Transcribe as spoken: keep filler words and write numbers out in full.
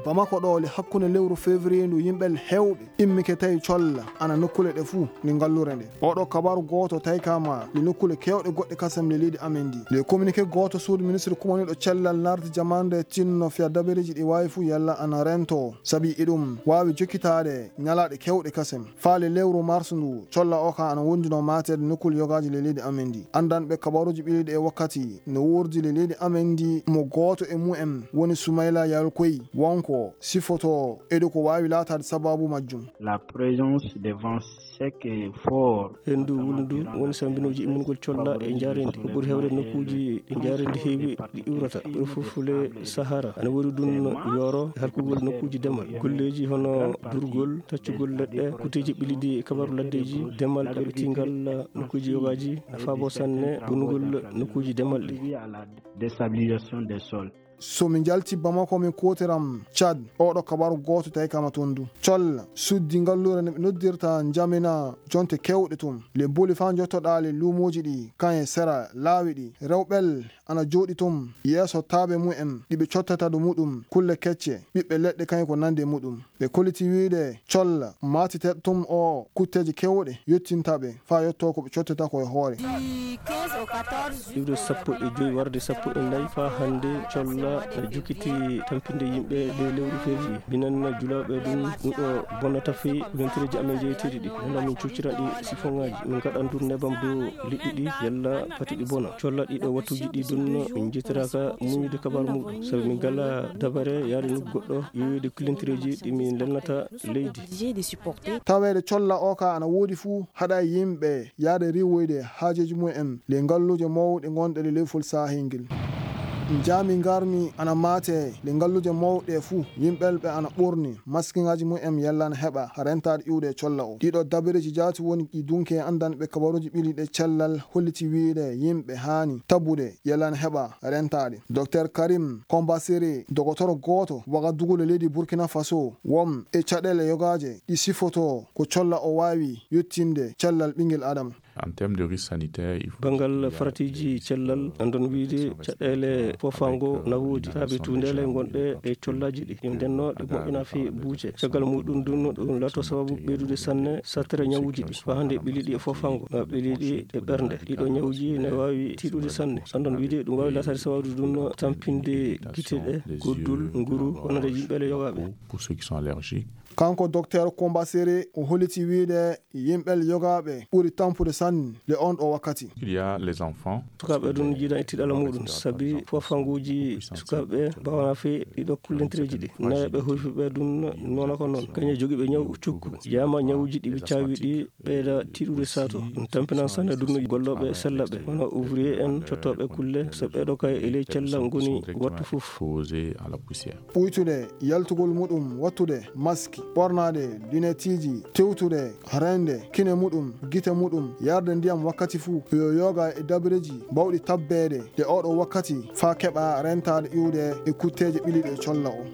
Bamako ɗo le hakkunde lewru février ndu yimɓe heewɓe immike tawi colla ana nokkule ɗe fuu ni ngallure nde. Oɗo kabaru gooto tawi kama le nokkule keewɗe goɗɗe kasam le leydi amen ndi. Le communiqué gooto suudu ministre kumaniɗo cellal nardi jamande tinno fiya dabareeji ɗi waawi fuu yalla ana rento. Sabi iɗum waawi jokkitaade ñalaaɗe keewɗe kasam. Faale lewru mars ndu, colla o ka ana wondino maateede nokkule yogaaji le leydi amen ndi. Anndanɓe kabaruuji ɓiliiɗi e wakkati no wuurdi le leydi amen ndi mo gooto e mumen woni Soumaïla Yalkoy. Wonko sifoto eɗo ko waawi laataade sababu majjum. La présence des vents secs et forts. Henndu wulndu woni sambinooji immingol colla e njaareendi. Ko ɓuri heewde nokkuuji ɗi njaareendi heewi ɗi iwrata. Ɓuri fof fule Sahara. Ana woodi ɗum yooro e halkugol nokkuuji demal. Golleeji hono durgol, taccugol leɗɗe, kuteeji ɓiliiɗi e kabaru laddeeji, demal ɗaɓɓitiingal nokkuuji yogaaji, na faabo sanne bonugol nokkuuji demal ɗi. Déstabilisation des sols. So min njalti Bamako, min kuutiram Tchad, oɗo kabaru gooto tawi kama toon du. Colla suddi ngallure no ɓe noddirta Njamina jonte keewɗe toon. Le boli faa njottoɗaa le luumooji ɗi, kan e sera laawi ɗi. Rewɓel ana jooɗi toon yeeso taabe mumen, ɗi ɓe cottata ɗo muɗum, kulle kecce, ɓiɓɓe leɗɗe kañum ko nandi e muɗum. Ɓe kolliti wiyde colla maatiteeɗo toon o kutteeje keewɗe yottinta ɓe, faa yottoo ko ɓe cottata ko e hoore. Iwde sappo e joy warde sappo e nayi faa hannde, colla na jukkiti tampinde yimɓe ley lewru février. Minen julaaɓe ɗum, ɗum ɗo bonnata fii kulintireeji amen jeyeteeɗi ɗi. Nana min cuccira ɗi sifoŋaaji. Min ngaɗan ɗum nebam dow liɗɗi ɗi, yalla pati ɗi bona. Colla ɗiɗo wattuuji ɗi ɗum, min njettiraka muñude kabaru muɗum. Sabi min ngala dabare yaade nokku goɗɗo, yowiide kulintireeji ɗi min lelnata leydi. Taweede colla o ka ana woodi fuu, haɗa yimɓe yaade riiwoyde haajeeji mumen le ngalluuje mawɗe ngonɗe le lewfol saahel ngel. Njaami ngarmi ana maate le ngalluuje mawɗe fuu, yimɓelɓe ana ɓorni maskiŋaaji mumen yalla ana heɓa rentaade iwde colla o. Ɗiɗo dabareeji jaati woni ɗi dunke anndanɓe kabaruuji ɓiliiɗe cellal holliti wiyde yimɓe haani tabude yalla ana heɓa rentaade. Docteur Karim Kombasere, dogotoro gooto Wagadugu le leydi Burkina Faso, won e caɗeele yogaaje ɗi sifoto ko colla o waawi yottinde cellal ɓingel Adama. En termes de risque sanitaire, il faut Banngal faratiiji cellal, anndon wiyde caɗeele foofaango na woodi. Saabi tunndele ngonɗe e collaaji ɗi. Ɗum ndenno ɗi moƴƴina fii buuce. Caggal muɗum ɗum, ɗum laato sababu ɓeydude sanne sattere ñawuuji ɗi. Faa hannde ɓiliiɗi e foofaango, na ɓiliiɗi e ɓernde. Ɗiɗo ñawuuji ne waawi tiiɗude sanne. Anndon wiyde ɗum waawi laataade sababu ɗum tampinde gite ɗe, goddul, nguru, wonande yimɓe le yogaaɓe. Pour ceux qui sont allergiques. Kanko Docteur Kombasere o holliti wiyde yimɓe yogaaɓe ɓuri tampude sanne le on ɗo wakkati. Il y a les enfants. Sukaaɓe ɗum jiidan e tiiɗalla muɗum, sabi foofaanguuji sukaaɓe mbaawana fii ɗiɗo kullintireeji ɗi. Nayaɓe huyfuɓe ɗum noona ko noon. Kañe jogiiɓe ñaw cukku. Yaama ñawuuji ɗi ɓe caawi ɗi ɓeyda tiiɗude sato. Ɗum tampinan sanne ɗum gollooɓe sellaɓe, wano ouvrier en, cottooɓe kulle, so ɓeeɗo kay e ley cella ngoni wattu fof. Posé à la poussière. Ɓuytude yaltugol muɗum, wattude maski, ɓornaade lunetteeji, tewtude reende kine muɗum, gite muɗum, yarde ndiyam wakkati fuu, yo yoga e dabareeji bawɗi tabbeede e oɗo wakkati faa keɓa rentaade iwde e kutteeje ɓiliiɗe colla o.